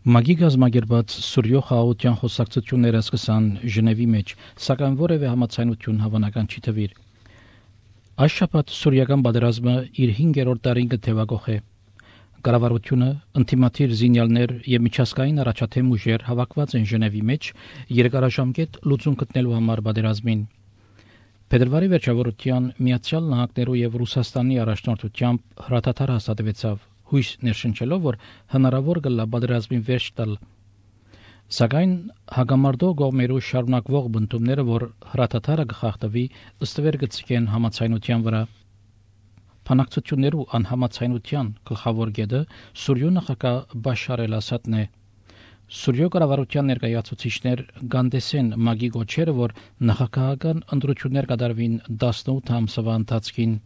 Մագի գազམ་ագերբած Սուրիո խաղաղության խոսակցությունները սկսան Ժնևի մեջ, սակայն որևէ համաձայնություն հավանական չի թվիր։ Այս շաբաթ սուրիական պատերազմը իր 5-րդ տարին կթևակոխ է։ Կառավարությունը, ինտիմատիր զինյալներ եւ միջազգային առաջադեմ ուժեր հավաքված են Ժնևի մեջ երկարաժամկետ լուծում գտնելու համար պատերազմին։ Փետրվարի վերջավորության Միացյալ Նահանգներու եւ Ռուսաստանի առաջնորդությամբ հրաթաթար հաստատվեցավ, հույս ներշնչելով, որ հնարավոր կլա պատերազմին վերջ տալ։ Սակայն հագամարտող կողմերու շարունակվող բնդումները, որ հրաթաթարը կխախտվի, ըստվեր կցկեն համաձայնության վրա։ Փանակցություններու անհամաձայնության գլխավոր կետը Սուրիո նախագահ Բաշար էլ-Ասադն է։ Սուրիո կառավարության ներկայացուցիչներ գանդեսեն մագի գոչերը, որ նախագահական ընտրություններ կատարվին 18 ամսվա ընթացքին։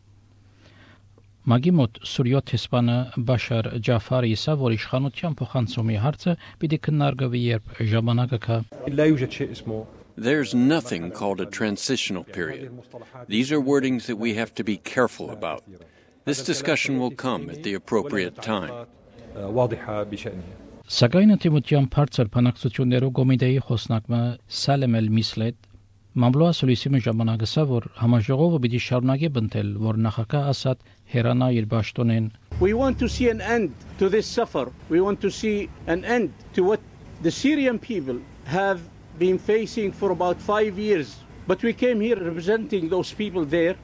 Մագի մոտ Սուրիո տեսփանը Բաշար Ջաֆարի իսա, որ իշխանության փոխանցումի հարցը պիտի քննարկվի, երբ ժամանակը կա։ There's nothing called a transitional period. These are wordings that we have to be careful about. This discussion will come at the appropriate time. Սակայն ընդդիմության բարձր բանակցություններով կոմիտեի խոսնակը Սալեմ էլ-Միսլետ մամլոյ ասուլիսի ժամանակը ասա, որ համաժողովը պիտի շարունակի բնտել, որ նախագահ Ասադ հերանա իր պաշտոնեն։ We want to see an end to this suffer. We want to see an end to what the Syrian people have been facing for about 5 years. But we came here representing those people there,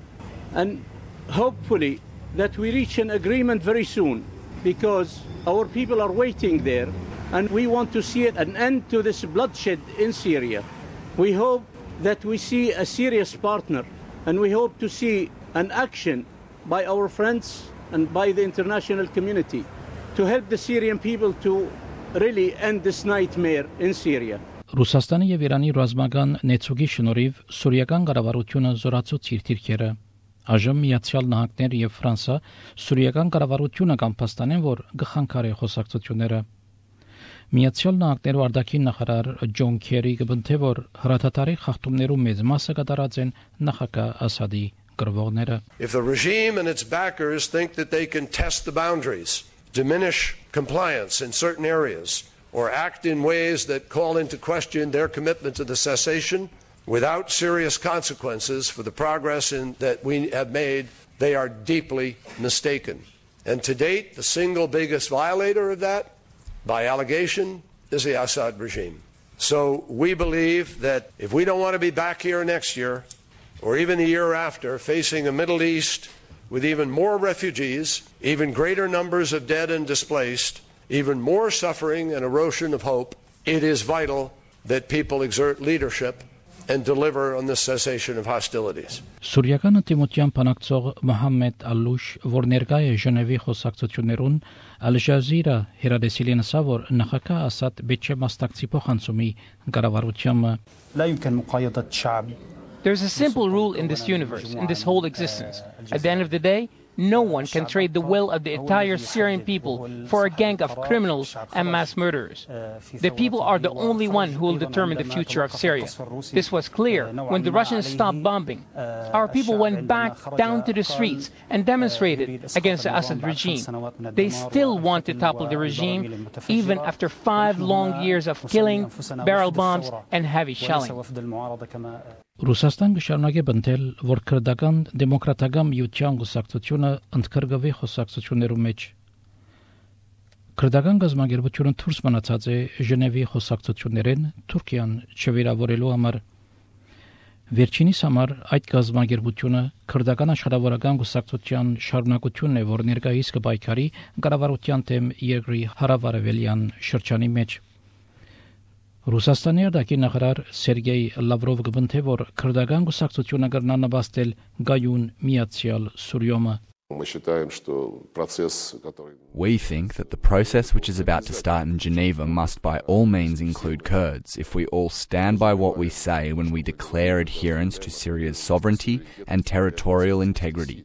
and hopefully that we reach an agreement very soon, because our people are waiting there, and we want to see an end to this bloodshed in Syria. We hope that we see a serious partner, and we hope to see an action by our friends and by the international community to help the Syrian people to really end this nightmare in Syria. Ռուսաստանի եւ Իրանի ռազմական նեցուկի շնորհիվ սուրիական կառավարությունը զորացուց իր դիրքերը։ Այժմ Միացյալ Նահանգներ եւ Ֆրանսա սուրիական կառավարությունը կամփաստանեն, որ գխանքարի խոսակցությունները։ Միացյալ Նահանգներու արտաքին նախարար Ջոն Քերի կբնթե, որ հրաթաթարի խախտումներու մեծ մասը կատարած են նախագահ Ասադի գրվողները։ If the regime and its backers think that they can test the boundaries, diminish compliance in certain areas, or act in ways that call into question their commitment to the cessation without serious consequences for the progress that we have made, they are deeply mistaken. And to date, the single biggest violator of that, by allegation, is the Assad regime. So we believe that if we don't want to be back here next year, or even the year after, facing a Middle East with even more refugees, even greater numbers of dead and displaced, even more suffering and erosion of hope, it is vital that people exert leadership and deliver on the cessation of hostilities. Սուրիական ընդդիմության բանակցող Մոհամմեդ Ալուշ, որ ներկայ է Ժնևի խոսակցություններուն, Ալ-Ջազիրա հերադեսիլին ասա, որ նախագահ Ասադ պետք է մասնակցի փոխանցումի կառավարությանը։ There's a simple rule in this universe, in this whole existence. At the end of the day, no one can trade the will of the entire Syrian people for a gang of criminals and mass murderers. The people are the only one who will determine the future of Syria. This was clear when the Russians stopped bombing. Our people went back down to the streets and demonstrated against the Assad regime. They still want to topple the regime, even after 5 long years of killing, barrel bombs, and heavy shelling. Ռուսաստան կշարունակի բնտել, որ քրդական դեմոկրատական միության գուսակցությունը ընդգրկվի խոսակցություններու մեջ։ Քրդական գազམ་ագերբությունը դուրս մնացած է Ժնևի խոսակցություններեն Թուրքիան չվիրավորելու համար։ Վերջինիս համար այդ գազམ་ագերբությունը քրդական աշխատավորական գուսակցության շարունակությունն է, որ ներկայիս կպայքարի կառավարության դեմ երկրի հարավարևելյան շրջանի մեջ։ Ռուսաստանի արտաքին նախարար Սերգեյ Լավրովը կբնթե, որ քրդական գուսակցությունը կրնա նպաստել գայուն միացյալ Սուրիոմը։ We think that the process which is about to start in Geneva must by all means include Kurds if we all stand by what we say when we declare adherence to Syria's sovereignty and territorial integrity.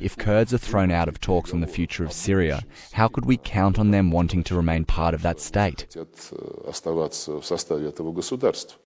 If Kurds are thrown out of talks on the future of Syria, how could we count on them wanting to remain part of that state?